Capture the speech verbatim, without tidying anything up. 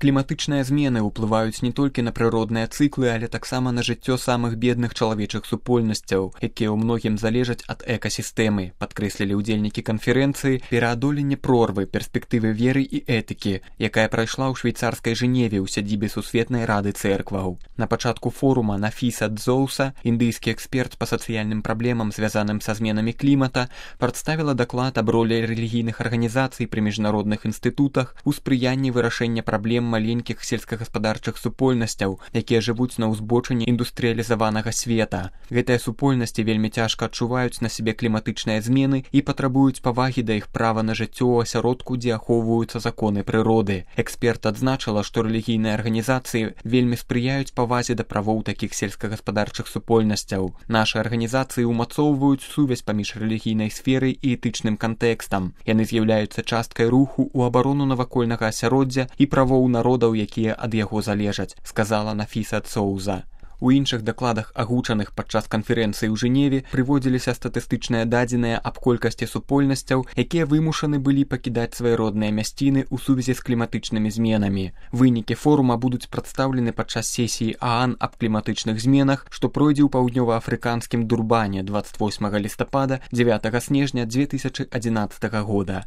Кліматычныя змены ўплываюць не толькі на прыродныя цыклы, але таксама на жыццё самых бедных чалавечых супольнасцяў, якія ў многім залежаць ад экасістэмы, падкрэслілі ўдзельнікі канферэнцыі «Пераадоленне прорвы. Перспектывы веры і этыкі», якая прайшла ў швейцарскай Жэневе ў сядзібе Сусветнай рады цэркваў. На пачатку форума Нафіса Дзоуса, індыйскі эксперт па сацыяльным праблемам, звязаным са зменамі клімата, прадставіла даклад аб ролі рэлігійных арганізацый пры міжнародных інстытутах у спрыянні вырашэння праблем маленькіх сельскагаспадарчых супольнасцяў, якія жывуць на ўзбочыне індустрыялізаванага света. Гэтыя супольнасці вельмі цяжка адчуваюць на сябе кліматычныя змены і патрабуюць павагі да іх права на жыццё ў асяродку, дзе ахоўваюцца законы прыроды. Эксперт адзначыла, што рэлігійныя арганізацыі вельмі спрыяюць павазе да правоў такіх сельскагаспадарчых супольнасцяў. Нашы арганізацыі ўмацоўваюць сувязь паміж рэлігійнай сферай і этычным кантэкстам. Яны з'яўляюцца часткай руху ў абарону навакольнага асяроддзя і правоў народаў, якія ад яго залежаць, сказала Нафіса Дзоуза. У іншых дакладах, агучаных падчас канферэнцыі ў Жэневе, прыводзіліся статыстычныя дадзеныя аб колькасці супольнасцяў, якія вымушаны былі пакідаць свае родныя мясціны ў сувязі з кліматычнымі зменамі. Вынікі форума будуць прадстаўлены падчас сесіі ААН аб кліматычных зменах, што пройдзе ў паўднёва-афрыканскім Дурбане дваццаць восьмага лістапада - дзевятага снежня дзве тысячы адзінаццатага года.